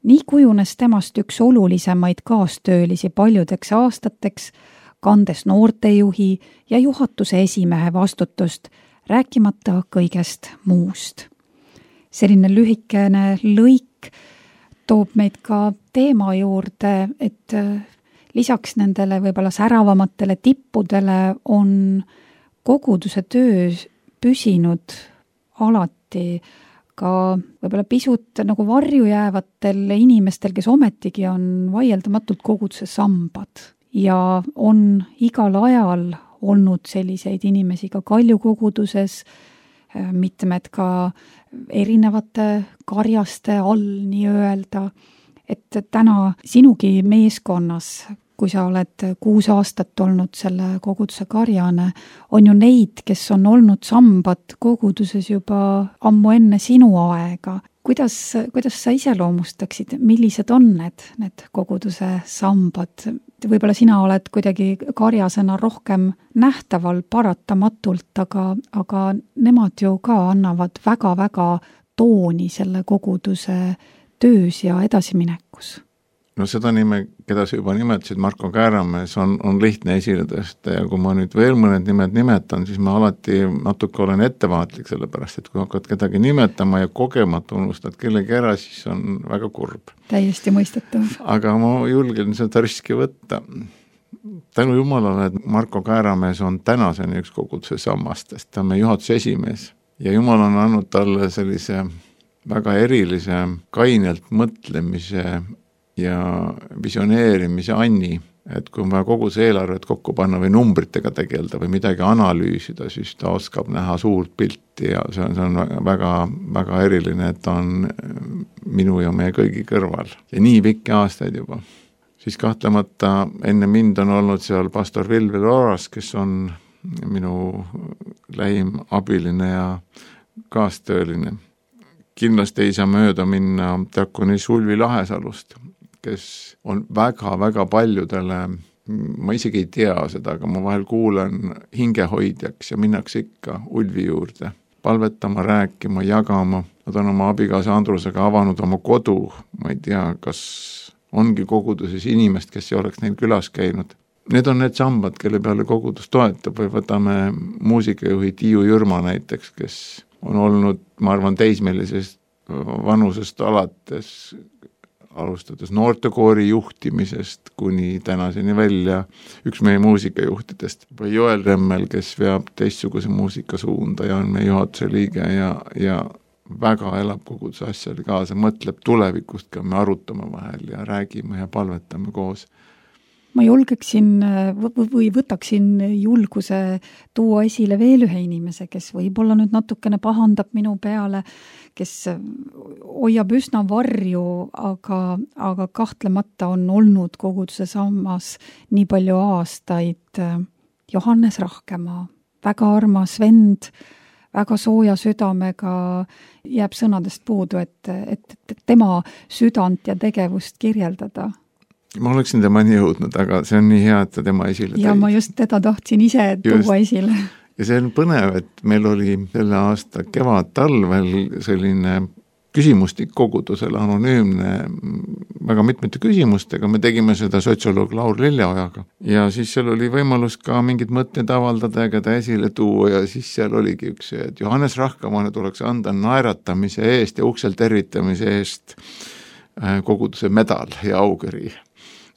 Nii kujunes temast üks olulisemaid kaastöölisi paljudeks aastateks, kandes noortejuhi ja juhatuse esimehe vastutust, rääkimata kõigest muust. Selline lühikene lõik toob meid ka teema juurde, et lisaks nendele võib-olla säravamatele tippudele on koguduse töö püsinud alati ka võib-olla pisut nagu varju jäävatel inimestel, kes ometigi on vaieldamatult koguduse sambad ja on igal ajal olnud selliseid inimesi ka Kalju koguduses, mitmed ka erinevate karjaste all nii-öelda, et täna sinugi meeskonnas, kui sa oled 6 aastat olnud selle koguduse karjane, on ju neid, kes on olnud sambad koguduses juba ammu enne sinu aega. Kuidas sa iseloomustaksid, millised on need koguduse sambad? Võib-olla sina oled kuidagi karjasena rohkem nähtaval paratamatult, aga nemad ju ka annavad väga-väga tooni selle koguduse töös ja edasiminekus. No seda nime, keda sa juba nimetasid, Marko Kääramees, on lihtne esile tõsta ja kui ma nüüd veel mõned nimed nimetan, siis ma alati natuke olen ettevaatlik, sellepärast et kui hakkad kedagi nimetama ja kogemata unustad kellegi ära, siis on väga kurb. Täiesti mõistetav. Aga ma julgen seda riski võtta. Tänu Jumalale, et Marko Kääramees on tänaseni üks koguduse sammastest, ta on meie juhatuse esimees ja Jumal on andnud talle sellise väga erilise kainelt mõtlemise ja visioneerimise anni, et kui on vaja koguduse eelarvet kokku panna või numbritega tegelda või midagi analüüsida, siis ta oskab näha suurt pilti ja see on väga, väga eriline, et ta on minu ja meie kõigi kõrval. Ja nii pikki aastaid juba. Siis kahtlemata enne mind on olnud seal pastor Vilvel Oras, kes on minu lähim abiline ja kaastööline. Kindlasti ei saa mööda minna diakonis Ulvi Lahesalust, kes on väga-väga paljudele, ma isegi ei tea seda, aga ma vahel kuulen hingehoidjaks ja minnakse ikka Ulvi juurde, palvetama, rääkima, jagama. Nad on oma abikaasa Andrusega avanud oma kodu, ma ei tea, kas ongi koguduses inimest, kes ei oleks neil külas käinud. Need on need sambad, kelle peale kogudus toetab või võtame muusikajuhi Tiiu Jürma näiteks, kes on olnud, ma arvan, teismelisest vanusest alates, alustades noortekoori juhtimisest kuni tänaseni välja üks meie muusikajuhtidest. Või Joel Remmel, kes veab teistsuguse muusikasuunda ja on meie juhatuse liige ja väga elab koguduse asjale kaasa, mõtleb tulevikust ka, me arutame vahel ja räägime ja palvetame koos. Ma julgeksin või võtaksin julguse tuua esile veel ühe inimese, kes võib-olla nüüd natukene pahandab minu peale, kes hoiab üsna varju, aga kahtlemata on olnud koguduse sammas nii palju aastaid. Johannes Rahkemaa, väga armas vend, väga sooja südamega, jääb sõnadest puudu, et tema südant ja tegevust kirjeldada. Ma oleksin tema nii jõudnud, aga see on nii hea, et ta tema esile tõi. Ja ma just teda tahtsin ise tuua esile. Ja see on põnev, et meil oli selle aasta kevad-talvel selline küsimustik kogudusele, anonüümne, väga mitmete küsimustega, me tegime seda sotsioloog Laur Lilleojaga ja siis seal oli võimalus ka mingid mõtted avaldada ja keda esile tuua ja siis seal oligi üks, et Johannes Rahkamaale tuleks anda naeratamise eest ja uksel tervitamise eest koguduse medal ja aukõri.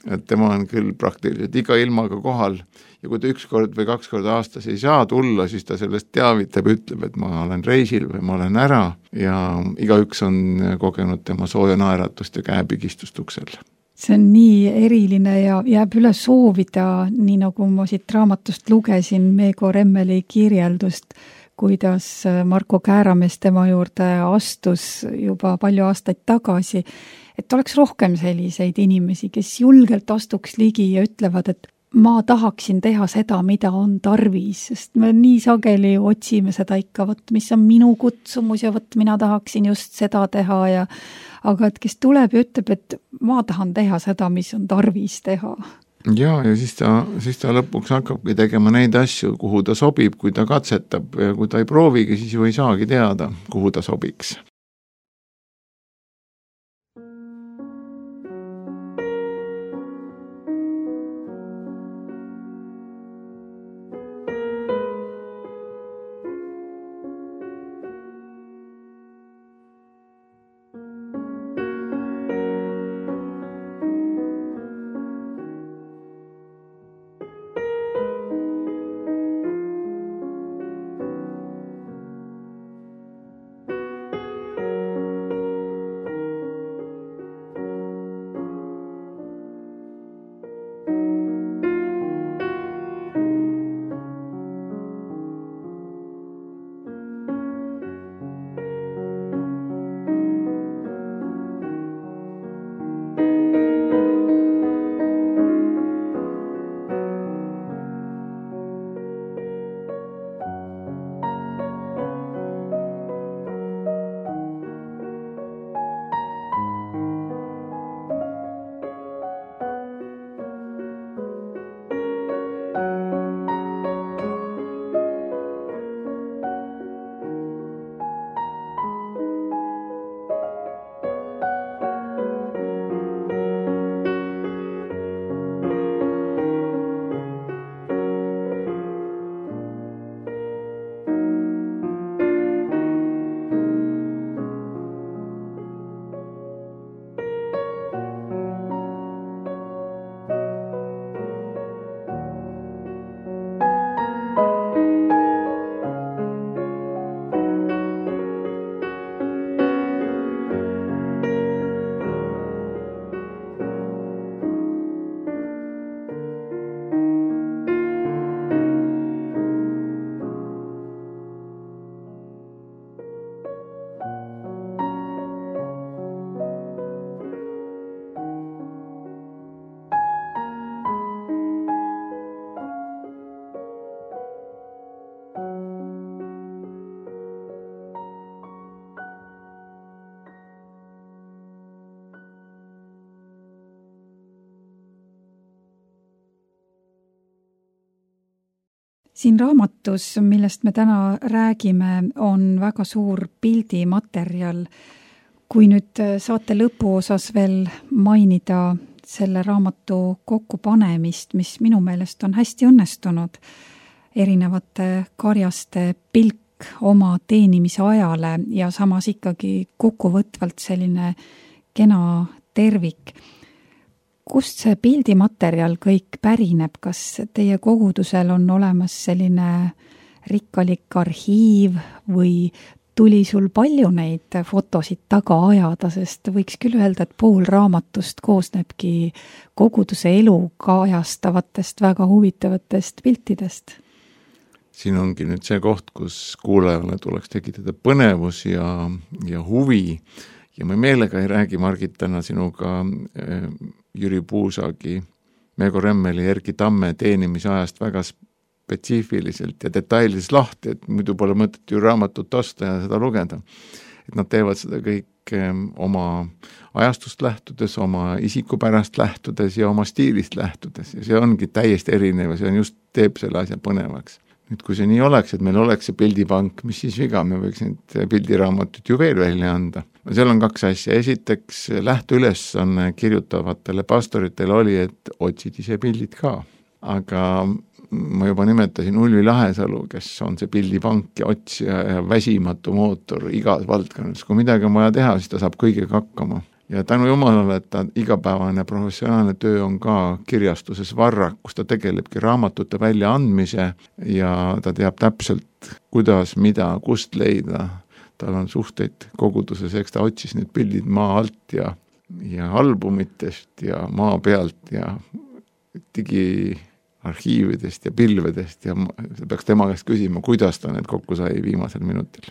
Et tema on küll praktiliselt iga ilmaga kohal ja kui ta 1 kord või 2 korda aastas ei saa tulla, siis ta sellest teavitab, ütleb, et ma olen reisil või ma olen ära ja igaüks on kogenud tema sooja naeratust ja käepigistust uksel. See on nii eriline ja jääb üle soovida, nii nagu ma siit raamatust lugesin Meego Remmeli kirjeldust, kuidas Marko Kääramees tema juurde astus juba palju aastaid tagasi, et oleks rohkem selliseid inimesi, kes julgelt astuks ligi ja ütlevad, et ma tahaksin teha seda, mida on tarvis, sest me nii sageli otsime seda ikka, mis on minu kutsumus ja mina tahaksin just seda teha aga et kes tuleb ja ütleb, et ma tahan teha seda, mis on tarvis teha. Ja siis ta lõpuks hakkabki tegema neid asju, kuhu ta sobib, kui ta katsetab ja kui ta ei proovigi, siis ju ei saagi teada, kuhu ta sobiks. Siin raamatus, millest me täna räägime, on väga suur pildimaterjal. Kui nüüd saate lõpuosas veel mainida selle raamatu kokkupanemist, mis minu meelest on hästi õnnestunud, erinevate karjaste pilk oma teenimise ajale ja samas ikkagi kokkuvõtvalt selline kena tervik. Kust see pildimaterjal kõik pärineb? Kas teie kogudusel on olemas selline rikkalik arhiiv või tuli sul palju neid fotosid taga ajada, sest võiks küll öelda, et pool raamatust koosnebki koguduse elu kajastavatest väga huvitavatest piltidest? Siin ongi nüüd see koht, kus kuulajale tuleks tekitada põnevus ja huvi. Ja me meelega ei räägi, Margit, täna sinuga Jüri Puusagi, Meego Remmeli, Erki Tamme teenimise ajast väga spetsiifiliselt ja detailises lahti, et muidu pole mõtet ju raamatut osta ja seda lugeda. Et nad teevad seda kõik oma ajastust lähtudes, oma isikupärast lähtudes ja oma stiilist lähtudes. Ja see ongi täiesti erinev ja see on just teeb selle asja põnevaks. Nüüd, kui see nii oleks, et meil oleks see pildipank, mis siis viga, me võiks need pildiraamatut ju veel välja anda. Seal on kaks asja. Esiteks, lähteülesanne kirjutavatele pastoritele oli, et otsid ise pildid ka. Aga ma juba nimetasin Ulvi Lahesalu, kes on see pildipank ja otsija ja väsimatu mootor igas valdkonnas. Kui midagi on vaja teha, siis ta saab kõigega hakkama. Ja tänu jumalale, et ta igapäevane professionaalne töö on ka kirjastuses Varrak, kus ta tegelebki raamatute väljaandmise ja ta teab täpselt, kuidas, mida, kust leida. Tal on suhteid koguduses, eks ta otsis need pildid maa alt ja albumitest ja maa pealt ja digiarhiividest ja pilvedest ja peaks tema käest küsima, kuidas ta need kokku sai viimasel minutil.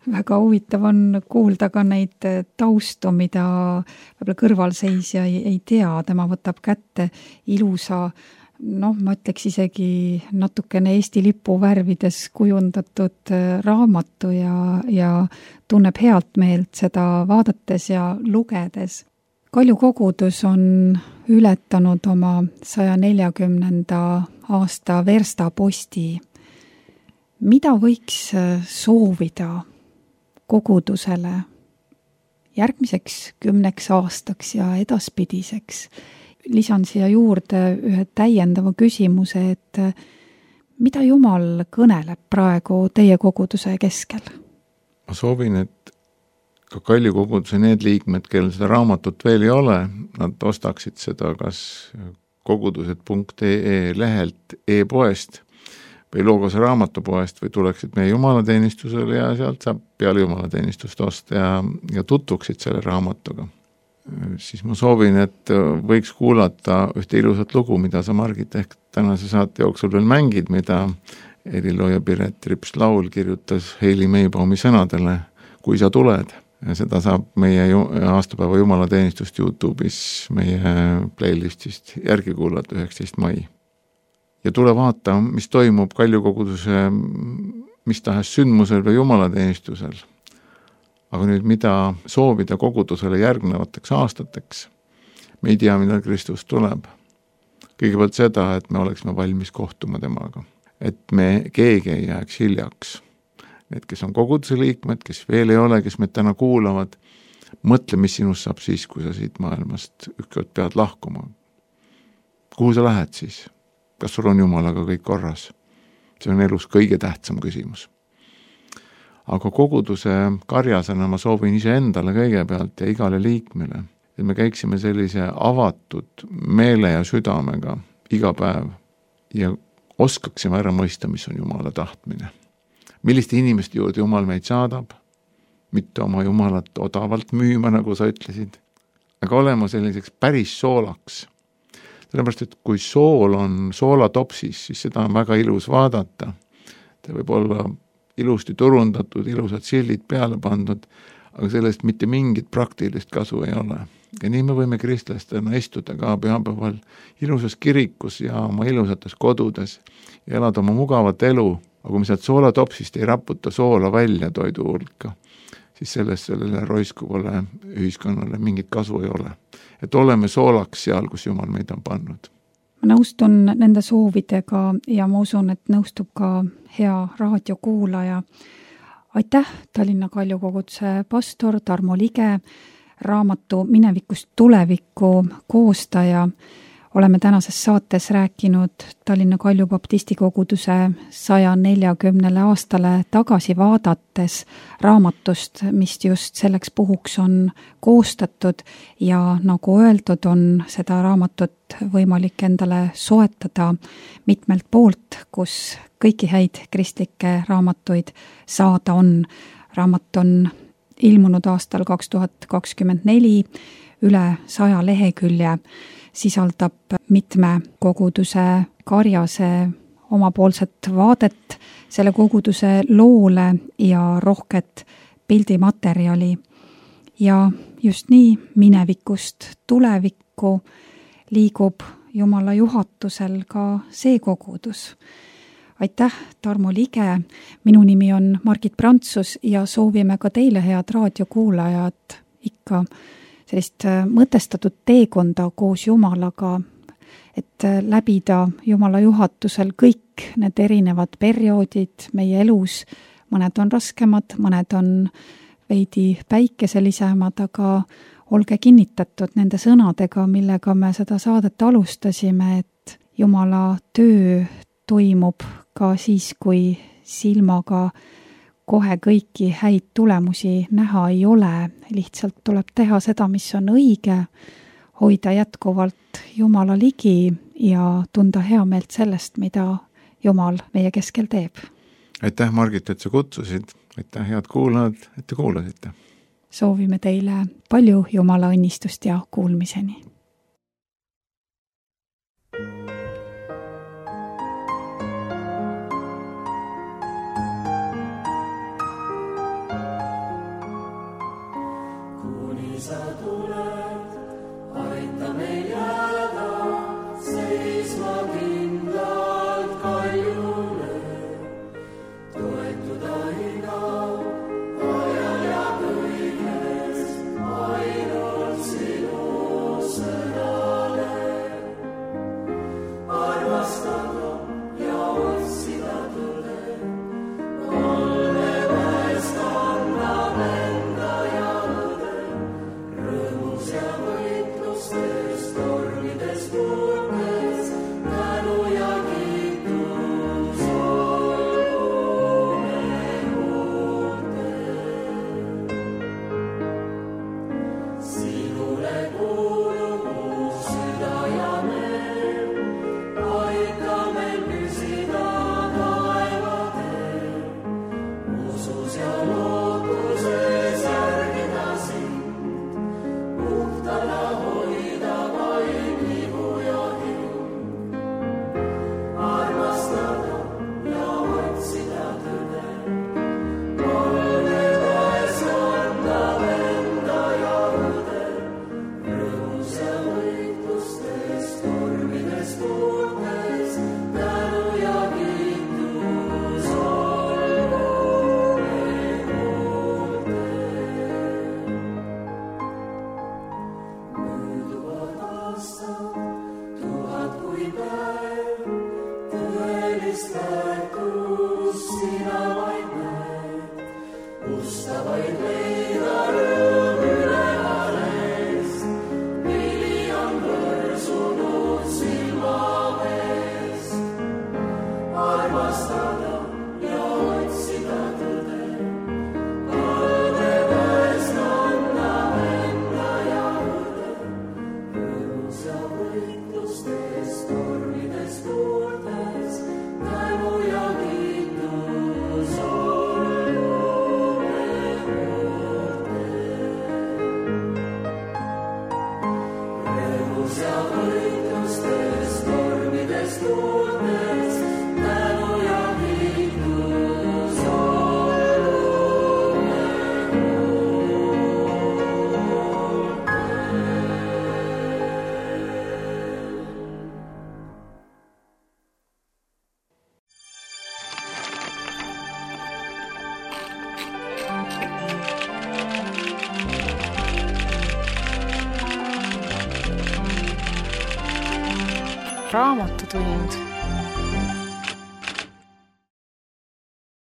Väga huvitav on kuulda ka neid taustu, mida võib-olla kõrvalseisja ei tea. Tema võtab kätte ilusa ma ütleks isegi natukene Eesti lipu värvides kujundatud raamatu ja tunneb healt meelt seda vaadates ja lugedes. Kalju kogudus on ületanud oma 140. aasta verstaposti. Mida võiks soovida kogudusele järgmiseks 10 aastaks ja edaspidiseks? Lisan siia juurde ühe täiendava küsimuse, et mida Jumal kõneleb praegu teie koguduse keskel? Ma soovin, et ka Kalju koguduse need liikmed, kellel seda raamatut veel ei ole, nad ostaksid seda kas kogudused.ee lehelt e-poest või Logose raamatupoest või tuleksid meie jumalateenistusele ja sealt saab peale jumalateenistust osta ja tutvuksid selle raamatuga. Siis ma soovin, et võiks kuulata ühte ilusat lugu, mida sa, Margit, ehk tänase saate jooksul veel mängid, mida helilooja Piret Rips laul kirjutas Heili Meibaumi sõnadele Kui sa tuled. Ja seda saab meie aastapäeva jumalateenistust YouTube'is meie playlistist järgi kuulata 19. mai. Ja tule vaata, mis toimub Kalju koguduse mis tahes sündmusel või jumalateenistusel. Aga nüüd, mida soovida kogudusele järgnevateks aastateks? Me ei tea, millal Kristus tuleb. Kõigepealt seda, et me oleksime valmis kohtuma temaga. Et me keegi ei jääks hiljaks. Need, kes on koguduse liikmed, kes veel ei ole, kes meid täna kuulavad, mõtle, mis sinust saab siis, kui sa siit maailmast ükskord pead lahkuma. Kuhu sa lähed siis? Kas sul on Jumalaga kõik korras? See on elus kõige tähtsam küsimus. Aga koguduse karjasena ma soovin ise endale kõigepealt ja igale liikmele, et me käiksime sellise avatud meele ja südamega iga päev ja oskaksime ära mõista, mis on Jumala tahtmine. Milliste inimeste juurde Jumal meid saadab, mitte oma Jumalat odavalt müüma, nagu sa ütlesid, aga olema selliseks päris soolaks. Sellepärast, et kui sool on soolatopsis, siis seda on väga ilus vaadata. Ta võib olla ilusti turundatud, ilusad sildid peale pandud, aga sellest mitte mingit praktilist kasu ei ole. Ja nii me võime kristlastena istuda ka pühapäeval ilusas kirikus ja oma ilusates kodudes ja elada oma mugavat elu, aga kui me sealt soolatopsist ei raputa soola välja toidu hulka, siis sellele roiskuvale ühiskonnale mingit kasu ei ole. Et oleme soolaks seal, kus Jumal meid on pannud. Ma nõustun nende soovidega ja ma usun, et nõustub ka hea raadiokuulaja. Aitäh, Tallinna Kalju koguduse pastor Tarmo Lige, raamatu Minevikust tulevikku koostaja. Oleme tänases saates rääkinud Tallinna Kalju baptistikoguduse 140 aastale tagasi vaadates raamatust, mis just selleks puhuks on koostatud ja nagu öeldud, on seda raamatut võimalik endale soetada mitmelt poolt, kus kõiki häid kristlikke raamatuid saada on. Raamat on ilmunud aastal 2024 üle 100 lehekülje, sisaldab mitme koguduse karjase omapoolset vaadet selle koguduse loole ja rohket pildimaterjali. Ja just nii minevikust tulevikku liigub Jumala juhatusel ka see kogudus. Aitäh, Tarmo Lige. Minu nimi on Margit Prantsus ja soovime ka teile, head raadiokuulajad, ikka sellist mõtestatud teekonda koos Jumalaga, et läbida Jumala juhatusel kõik need erinevad perioodid meie elus. Mõned on raskemad, mõned on veidi päikeselisemad, aga olge kinnitatud nende sõnadega, millega me seda saadet alustasime, et Jumala töö toimub ka siis, kui silmaga kohe kõiki häid tulemusi näha ei ole. Lihtsalt tuleb teha seda, mis on õige, hoida jätkuvalt Jumala ligi ja tunda hea meelt sellest, mida Jumal meie keskel teeb. Aitäh, Margit, et sa kutsusid. Aitäh, head kuulajad, et te kuulasite. Soovime teile palju Jumala õnnistust ja kuulmiseni. Aita meil jääda seisma Raamatutund.